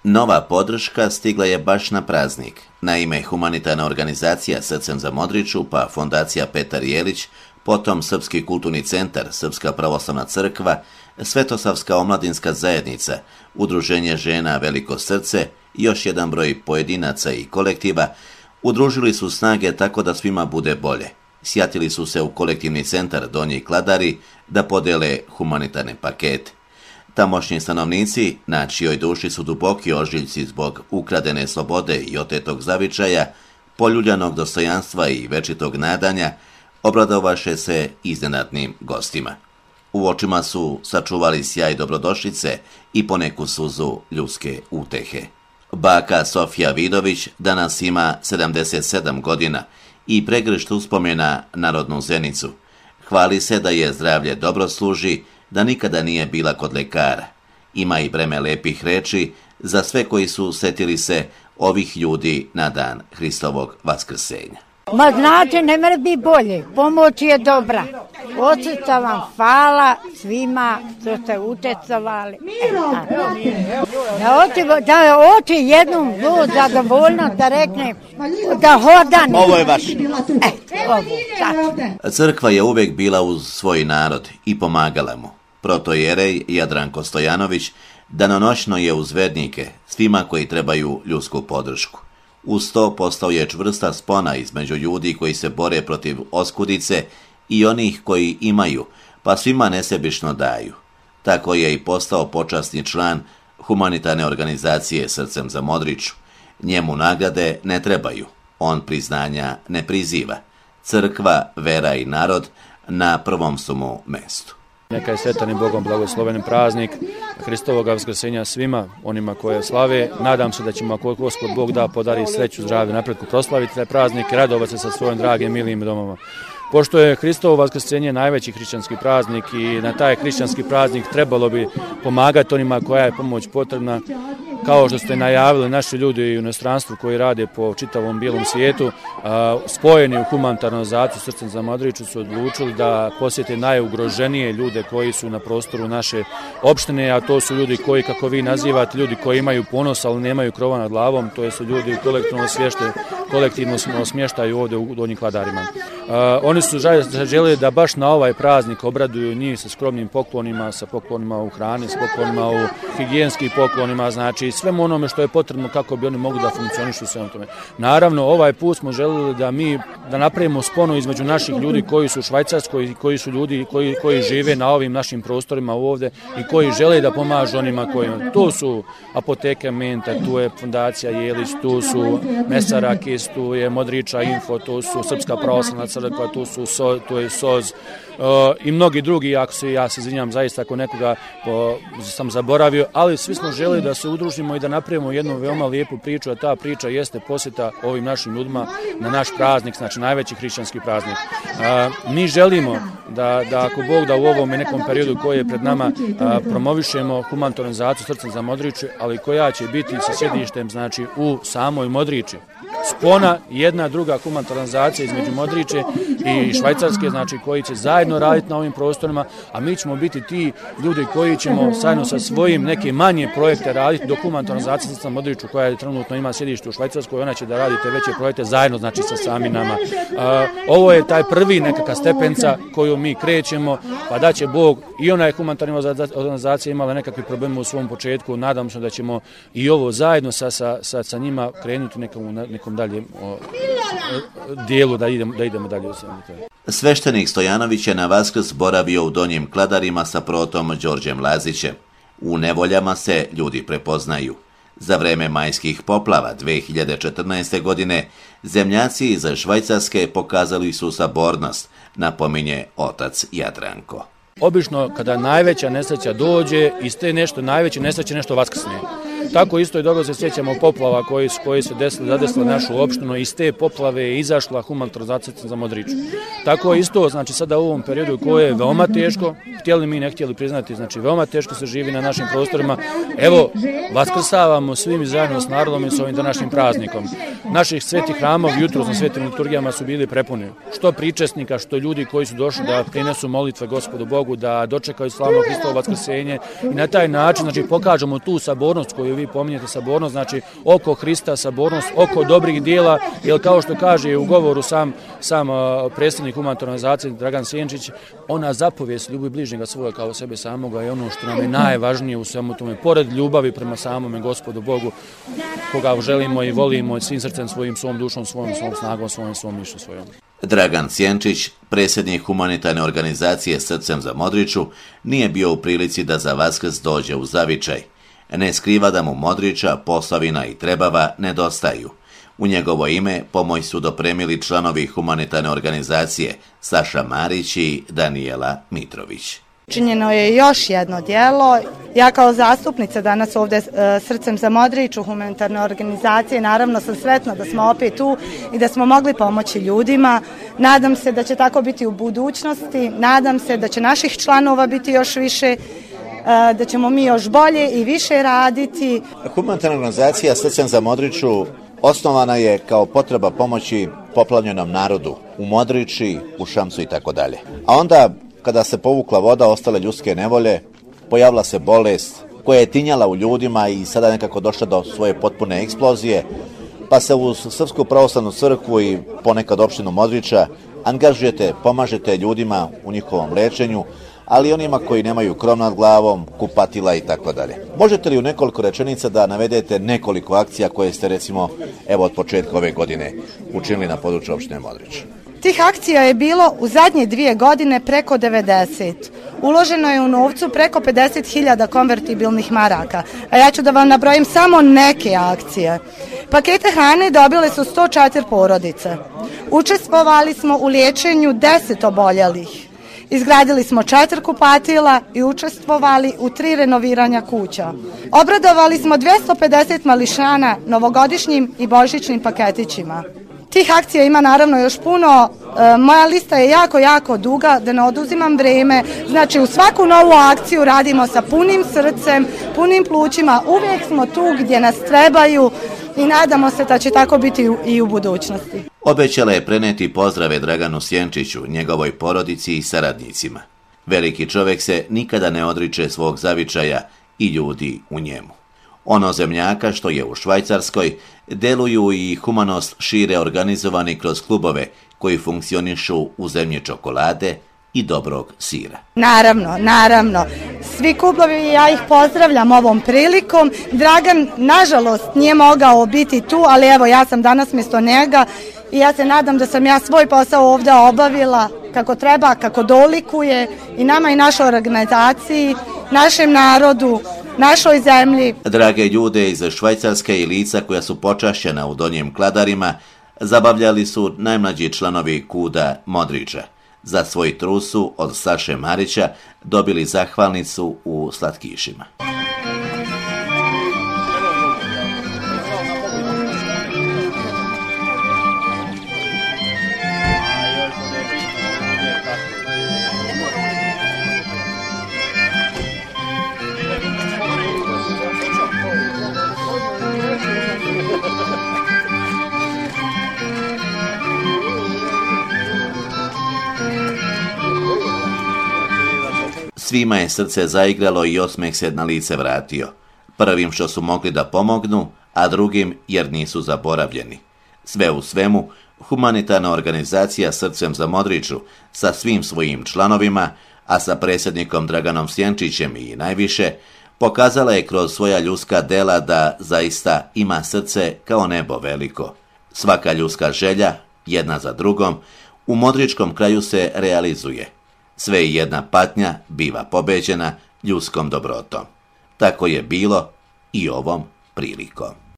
Nova podrška stigla je baš na praznik. Naime, humanitarna organizacija Srcem za Modriču, pa fondacija Petar Jelić, potom Srpski kulturni centar, Srpska pravoslavna crkva, Svetosavska omladinska zajednica, Udruženje žena Veliko srce i još jedan broj pojedinaca i kolektiva udružili su snage tako da svima bude bolje. Sjatili su se u kolektivni centar Donji Kladari da podele humanitarne pakete. Tamošnji stanovnici, na čijoj duši su duboki ožiljci zbog ukradene slobode i otetog zavičaja, poljuljanog dostojanstva i večitog nadanja, obradovaše se iznenadnim gostima. U očima su sačuvali sjaj dobrodošlice i poneku suzu ljudske utehe. Baka Sofija Vidović danas ima 77 godina i pregršt uspomena na rodnu Zenicu. Hvali se da je zdravlje dobro služi, da nikada nije bila kod lekara. Ima i breme lepih reči za sve koji su setili se ovih ljudi na dan Hristovog vaskrsenja. Ma znači, ne može biti bolje, pomoć je dobra. Očica vam hvala svima što ste učestvovali. Da oči jednom zadovoljno da rekne da hodan. Ovo je vaš. Crkva je uvijek bila uz svoj narod i pomagala mu. Protojerej Jadranko Stojanović danonoćno je uz vernike, svima koji trebaju ljudsku podršku. Uz to postao je čvrsta spona između ljudi koji se bore protiv oskudice i onih koji imaju, pa svima nesebično daju. Tako je i postao počasni član humanitarne organizacije Srcem za Modriču. Njemu nagrade ne trebaju, on priznanja ne priziva. Crkva, vera i narod na prvom su mu mestu. Neka je sretan i Bogom blagosloven praznik Hristovog vaskrsenja svima onima koje slave. Nadam se da ćemo, ako Gospod Bog da, podari sreću, zdravlje, napretku, proslaviti taj praznik i radovati se sa svojim dragim, milim domama. Pošto je Hristovo vaskrsenje najveći hrišćanski praznik i na taj hrišćanski praznik trebalo bi pomagati onima koja je pomoć potrebna, kao što ste najavili, naši ljudi u inostranstvu koji rade po čitavom bijelom svijetu, spojeni u humanitarnu organizaciju Srcem za Modriču, su odlučili da posjete najugroženije ljude koji su na prostoru naše opštine, a to su ljudi koji, kako vi nazivate, ljudi koji imaju ponos, ali nemaju krova nad glavom, to su ljudi u kolektivnom smještaju ovdje u Donjim Kladarima. Oni su željeli da baš na ovaj praznik obraduju njih sa skromnim poklonima, sa poklonima u hrani, sa poklonima u higijenskim poklonima, znači svemu onome što je potrebno kako bi oni mogli da funkcionišu sve tome. Naravno, ovaj put smo željeli da napravimo sponu između naših ljudi koji su u Švajcarskoj i koji su ljudi koji žive na ovim našim prostorima ovdje i koji žele da pomažu onima koji... Tu su Apoteka Menta, tu je Fondacija Jelić, tu su Mesarakis, tu je Modriča Info, tu su Srpska pravoslavna crkva, tu je SOZ i mnogi drugi, ja se izvinjam zaista ako nekoga sam zaboravio, ali svi smo želi da se udružimo i da napravimo jednu veoma lijepu priču, a ta priča jeste posjeta ovim našim ljudima na naš praznik, znači najveći hrišćanski praznik. Mi želimo da ako Bog da u ovom nekom periodu koji je pred nama promovišemo humanitarnu organizaciju Srcem za Modriču, ali koja će biti sa sjedištem znači u samoj Modriči. Spona, jedna druga humanitarna organizacija između Modriče i Švajcarske, znači koji će zajedno raditi na ovim prostorima, a mi ćemo biti ti ljudi koji ćemo zajedno sa svojim neke manje projekte raditi do humanitarne organizacije Srcem za Modriču koja trenutno ima sjedište u Švajcarskoj, ona će da radi te veće projekte zajedno, znači sa sami nama. Ovo je taj prvi nekakva stepenca koju mi krećemo, pa da će Bog i ona je humanitarna organizacija imala nekakve probleme u svom početku, nadam se da ćemo i ovo zajedno sa njima krenuti nekom dalje dijelu da idemo dalje. Sveštenik Stojanović je na Vaskrs boravio u Donjim Kladarima sa protom Đorđem Lazićem. U nevoljama se ljudi prepoznaju. Za vreme majskih poplava 2014. godine zemljaci iz Švajcarske pokazali su sabornost, napominje otac Jadranko. Obično kada najveća nesreća dođe, iz te najveće nesreće nešto vaskrsne. Tako isto i dobro se sjećamo poplava koji su zadesile našu opštinu. Iz te poplave je izašla humanitarna organizacija za Modriču. Tako isto, znači sada u ovom periodu koje je veoma teško, htjeli mi ne htjeli priznati, znači veoma teško se živi na našim prostorima. Evo, vaskrsavamo svim zajedno s narodom i s ovim današnjim praznikom. Naših svetih hramova jutros na svetim liturgijama su bili prepuni. Što pričesnika, što ljudi koji su došli da prinesu molitve Gospodu Bogu, da dočekaju slavno Hristovo vaskrsenje i na taj način znači pokažemo tu sabornost koju koju vi pominjete, sabornost, znači oko Hrista, sabornost, oko dobrih dijela, jer kao što kaže u govoru sam predsjednik humanitarne organizacije Dragan Sjenčić, ona zapovijest ljubi bližnjega svoga kao sebe samoga je ono što nam je najvažnije u svemu tome, pored ljubavi prema samome Gospodu Bogu, koga želimo i volimo svim srcem svojim, svom dušom, svom snagom, svom mišlju svojom. Dragan Sjenčić, predsjednik humanitarne organizacije Srcem za Modriču, nije bio u prilici da za Vaskrs dođe u zavičaj. Ne skriva da mu Modriča, Posavina i Trebava nedostaju. U njegovo ime pomoć su dopremili članovi humanitarne organizacije Saša Marić i Danijela Mitrović. Činjeno je još jedno djelo. Ja kao zastupnica danas ovdje Srcem za Modriču humanitarne organizacije naravno sam sretna da smo opet tu i da smo mogli pomoći ljudima. Nadam se da će tako biti u budućnosti, nadam se da će naših članova biti još više, da ćemo mi još bolje i više raditi. Humanitarna organizacija Srcem za Modriču osnovana je kao potreba pomoći poplavljenom narodu u Modriči, u Šamcu i tako dalje. A onda kada se povukla voda, ostale ljudske nevolje, pojavila se bolest koja je tinjala u ljudima i sada nekako došla do svoje potpune eksplozije, pa se uz Srpsku pravoslavnu crkvu i ponekad opštinu Modriča angažujete, pomažete ljudima u njihovom lečenju, ali onima koji nemaju krov nad glavom, kupatila i tako dalje. Možete li u nekoliko rečenica da navedete nekoliko akcija koje ste recimo od početka ove godine učinili na području opštine Modrič? Tih akcija je bilo u zadnje 2 godine preko 90. Uloženo je u novcu preko 50.000 konvertibilnih maraka. A ja ću da vam nabrojim samo neke akcije. Pakete hrane dobile su 104 porodice. Učestvovali smo u liječenju 10 oboljelih. Izgradili smo 4 kupatila i učestvovali u 3 renoviranja kuća. Obradovali smo 250 mališana novogodišnjim i božićnim paketićima. Tih akcija ima naravno još puno, moja lista je jako duga, da ne oduzimam vrijeme, znači u svaku novu akciju radimo sa punim srcem, punim plućima, uvijek smo tu gdje nas trebaju i nadamo se da će tako biti i u budućnosti. Obećala je preneti pozdrave Draganu Sjenčiću, njegovoj porodici i saradnicima. Veliki čovjek se nikada ne odriče svog zavičaja i ljudi u njemu. Ono zemljaka što je u Švajcarskoj deluju i humanost šire organizovani kroz klubove koji funkcionišu u zemlji čokolade i dobrog sira. Naravno. Svi klubovi, ja ih pozdravljam ovom prilikom. Dragan, nažalost, nije mogao biti tu, ali evo, ja sam danas mjesto njega i ja se nadam da sam ja svoj posao ovdje obavila kako treba, kako dolikuje i nama i našoj organizaciji, našem narodu, našoj zemlji. Drage ljude iz Švajcarske i lica koja su počašćena u Donjim Kladarima zabavljali su najmlađi članovi KUD-a Modriča. Za svoj trud su od Saše Marića dobili zahvalnicu u slatkišima. Svima je srce zaigralo i osmeh se na lice vratio. Prvim što su mogli da pomognu, a drugim jer nisu zaboravljeni. Sve u svemu, humanitarna organizacija Srcem za Modriču sa svim svojim članovima, a sa predsjednikom Draganom Sjenčićem i najviše, pokazala je kroz svoja ljudska dela da zaista ima srce kao nebo veliko. Svaka ljudska želja, jedna za drugom, u modričkom kraju se realizuje. Sve i jedna patnja biva pobeđena ljudskom dobrotom. Tako je bilo i ovom prilikom.